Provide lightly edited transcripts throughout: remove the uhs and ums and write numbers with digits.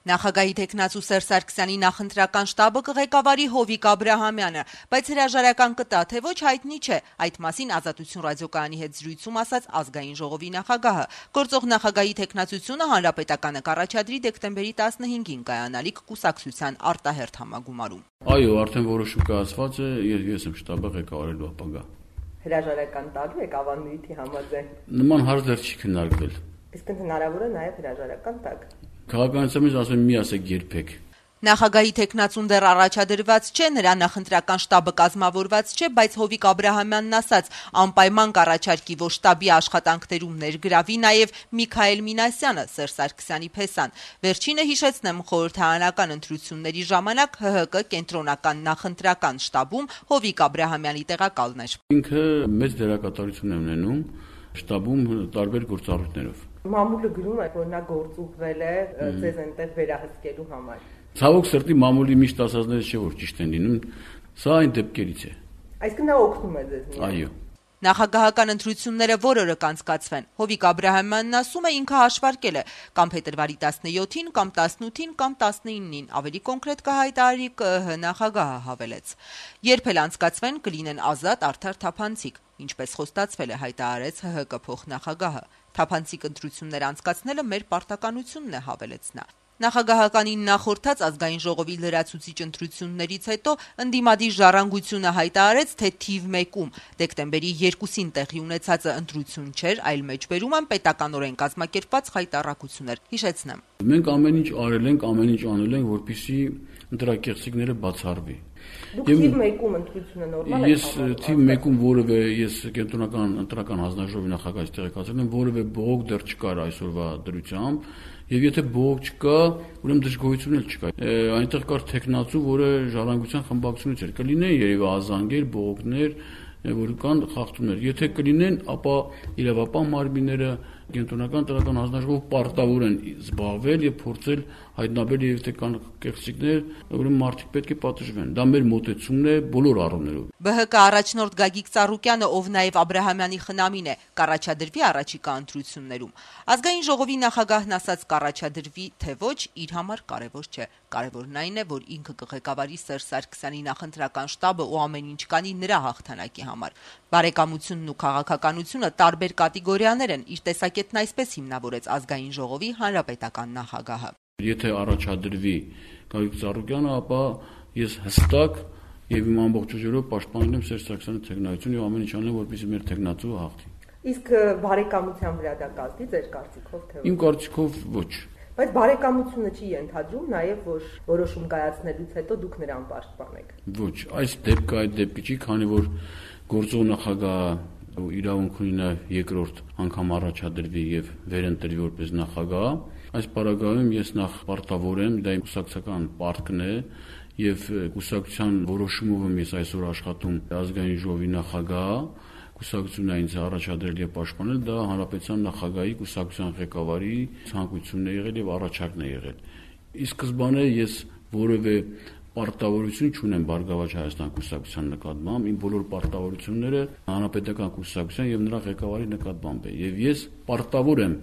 Նախագահի թեկնածու Սերժ Սարգսյանի նախընտրական շտաբը կղեկավարի Հովիկ Աբրահամյանը, բայց հրաժարական կտա, թե ոչ հայտնի չէ, այդ մասին Ազատություն ռադիոկայանի հետ զրույցում ասաց Ազգային ժողովի նախագահը։ Գործող նախագահի թեկնածությունը հանրապետականը կառաջադրի դեկտեմբերի 15-ին կայանալիք կուսակցության արտահերթ համագումարում։ Այո, արդեն որոշում կայացված է, ես եմ շտաբը ղեկավարելու ապագա։ Հրաժարական տալու եք ավանդույթի համաձայն։ Նման հարց դեռ չի քննարկվել։ Իսկ հնարավոր է նաև հրաժարական տակ։ Քաղաքականության մեջ ասում եմ մի ասեք երբեք։ Նախագահի թեկնածուն դեռ առաջադրված չէ, նրա նախընտրական շտաբը կազմավորված չէ, բայց Հովիկ Աբրահամյանն ասաց, անպայման կառաջարկի, որ շտաբի աշխատանքներում ներգրավի նաև Միքայել Մինասյանը, Սերժ Սարգսյանի փեսան։ Վերջինը, հիշեցնեմ, խորհրդարանական ընտրությունների ժամանակ ՀՀԿ կենտրոնական նախընտրական շտաբում Հովիկ Աբրահամյանի տեղակալն էր։ Ինքը մեծ դերակատարություն է ունենում շտաբում տարբեր գործառույթներով։ Մամուլը գրում է, որ նա գործուղվել է ձեզ այնտեղ վերահսկելու համար։ Ցավոք սրտի մամուլի միշտ ասածները չէ որ ճիշտ են լինում, սա այն դեպքերից է։ Այսինքն նա օգնում է ձեզ։ Այո։ Նախագահական ընտրությունները որ օրը կանցկացվեն, Հովիկ Աբրահամյանն ասում է, ինքը հաշվարկել է կամ փետրվարի 17-ին, կամ 18-ին, կամ 19-ին, ավելի կոնկրետ կհայտարարի ԿԸՀ նախագահը հավելեց։ Երբ էլ անցկացվեն, կլինեն ազատ, արդար, թափանցիկ, ինչպես խոստացվել է, հայտարարեց ՀՀԿ փոխնախագահը։ Թափանցիկ ընտրություններ անցկացնելը մեր պարտականությունն է, հավելեց նա։ Նախագահականին նախորդած Ազգային ժողովի լրացուցիչ ընտրություններից հետո ընդդիմադիր ժառանգությունը հայտարարեց, թե թիվ 1-ում դեկտեմբերի 2-ին տեղի ունեցածը ընտրություն չէր, այլ մեջբերում են պետականորեն կազմակերպված խայտառակություններ։ Հիշեցնեմ։ Մենք ամեն ինչ արել ենք, ամեն ինչ անել ենք, որպեսզի ընտրակեղծիքները բացառվի։ Դուք թիվ 1-ում ընտրությունը նորմալ է։ Ես թիվ 1-ում որևէ կենտրոնական ընտրական հանձնաժողովի նախագահի տեղեկացել եմ, որևէ բողոք դեռ չկար այսօրվա դրությամբ, եւ եթե բողոք չկա, ուրեմն դժգոհություն էլ չկա։ Այնտեղ կար տեխնացու, որը ժառանգության խմբակցությունից էր։ Կլինեն երևի ազանգեր, բողոքներ, որ կան խախտումներ։ Եթե կլինեն, ապա իրավապահ մարմինները կենտրոնական տրական հանձնաժողով պարտավոր են զբաղվել եւ փորձել հայտնաբերել եւ թե կան կեղծիքներ, ուրեմն մարդիկ պետք է պատժվեն։ Դա մեր մոտեցումն է բոլոր առումներով։ ԲՀԿ առաջնորդ Գագիկ Ծառուկյանը, ով նաև Աբրահամյանի խնամին է, կառաջադրվի առաջիկա ընտրություններում։ Ազգային ժողովի նախագահն ասաց կառաջադրվի, թե ոչ, իր համար կարևոր չէ։ Կարևորն այն է, որ ինքը կղեկավարի Սերժ Սարգսյանի նախընտրական շտաբը ու ամեն ինչ կանի նրա հաղթանակի համար։ Բարեկամությունն ու քաղաքականությունը տարբեր կատեգորիաներ են, իր տեսակետն այսպես հիմնավորեց Ազգային ժողովի հանրապետական նախագահը։ Եթե առաջադրվի Գագիկ Ծառուկյանը, ապա ես հստակ եւ իմ ամբողջ ուժերով պաշտպանել եմ Սերժ Սարգսյանի թեկնածությունը եւ ամեն ինչ անեմ, որպեսզի մեր թեկնածուը հաղթի։ Իսկ բարեկամության վրա դա կազմի ձեր կարծիքով թե ոչ։ Իմ կարծիքով ոչ։ Բայց բարեկամությունը չի ենթադրում նաեւ, որ որոշում կայացնելուց հետո դուք նրան պաշտպանեք։ Ոչ, այս դեպքը այդ դեպքը չի, քանի որ գործող նախագահը իրավունք ունի նաեւ երկրորդ անգամ առաջադրվի եւ վերընտրվի որպես նախագահ։ Այս պարագայում ես նախ պարտավոր եմ, դա իմ կուսակցական պարտքն է եւ կուսակցության որոշումով եմ ես այսօր աշխատում Ազգային ժողովի նախագահ, կուսակցությունն ինձ առաջադրել եւ պաշտպանել, դա հանրապետության նախագահի կուսակցության ղեկավարի ցանկությունն է եղել եւ առաջարկն է եղել։ Ի սկզբանե ես որևէ պարտավորություն չունեմ Բարգավաճ Հայաստան կուսակցության նկատմամբ, իմ բոլոր պարտավորությունները հանրապետական կուսակցության եւ նրա ղեկավարի նկատմամբ է եւ ես պարտավոր եմ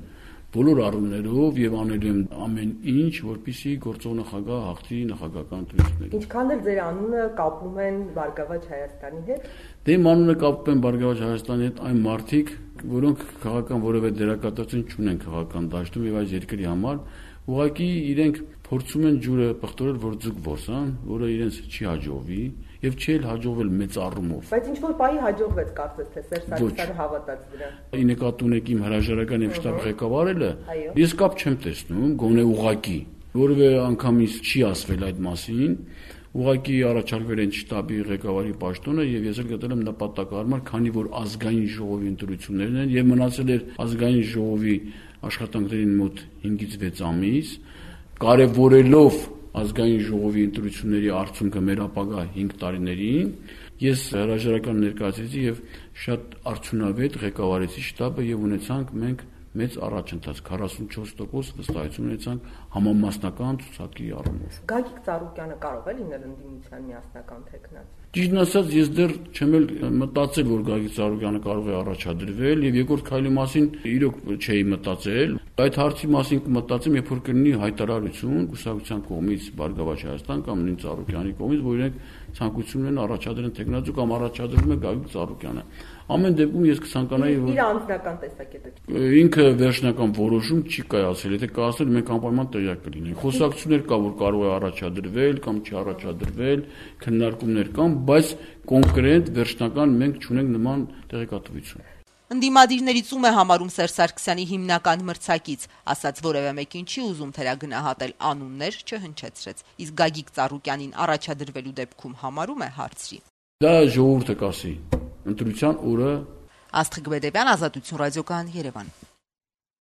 բոլոր առումներով եւ անելու եմ ամեն ինչ, որպեսզի գործող նախագահ հաղթի նախագահական ընտրություններին։ Ինչքան էլ ձեր անունը կապում են Բարգավաճ Հայաստանի հետ։ Դե իմ անունը կապում են Բարգավաճ Հայաստանի հետ այն մարդիկ, որոնք քաղաքական որևէ դերակատարություն չունեն քաղաքական դաշտում եւ այս երկրի համար, ուղղակի իրենք փորձում են ջուրը պղտորել, որ ձուկ որսան, որը իրենց չի հաջողվի եւ չի էլ հաջողվել մեծ առումով։ Բայց ինչ որ պահի հաջողվեց կարծես թե Սերժ Սարգսյանը հավատաց դրան։ Ի նկատի ունեք իմ հրաժարական եւ շտաբ ղեկավարելը, ես կապ չեմ տեսնում, գոնե ուղղակի որևէ անգամ ինձ չի ասվել այդ մասին, ուղղակի առաջարկվել են շտաբի ղեկավարի պաշտոնը եւ ես էլ գտել եմ նպատակահարմար, քանի որ Ազգային ժողովի ընտրություններն են եւ մնացել էր Ազգային ժողովի աշխատանքներին մոտ 5-ից 6 ամիս, կարևորելով Ազգային ժողովի ընտրությունների արդյունքը մեր ապագա 5 տարիներին, ես հրաժարական ներկայացրեցի եւ շատ արդյունավետ ղեկավարեցի շտաբը եւ ունեցանք մենք մեծ առաջընթաց 44% վստահություն ունեցանք համամասնական ցուցակի առումով։ Գագիկ Ծառուկյանը կարող է լինել ընդդիմության միասնական թեկնածու։ Ճիշտն ասած, ես դեռ չեմ էլ մտածել, որ Գագիկ Ծառուկյանը կարող է առաջադրվել, եւ երկրորդ քայլի մասին իրոք չէի մտածել։ Այդ հարցի մասին կմտածեմ, երբ որ կլինի հայտարարություն կուսակցության կողմից Բարգավաճ Հայաստան կամ նույն Ծառուկյանի կողմից, որ իրենք ցանկություն ունեն առաջադրեն տեխնոզու կամ առաջադրվում է Գագիկ Ծառուկյանը։ Ամեն դեպքում ես կցանկանայի, որ իր անձնական տեսակետը ինքը վերջնական որոշում չի կայացել, եթե կայացել մենք անպայման տեղյակ կլինենք։ Խոսակցություններ կա, որ կարող է առաջադրվել կամ չի առաջադրվել, քննարկումներ կան, բայց կոնկրետ վերջնական մենք չունենք նման տեղեկատվություն։ Ընդդիմադիրներից ում է համարում Սերժ Սարգսյանի հիմնական մրցակից, ասաց որևէ մեկին չի ուզում թերագնահատել, անուններ չհնչեցրեց, իսկ Գագիկ Ծառուկյանին առաջադրվելու դեպքում համարում է հարցրի։ Դա ժողովուրդը կասի, ընտրության օրը։ Աստղիկ Բեդեբյան, Ազատություն ռադիոկայան, Երևան։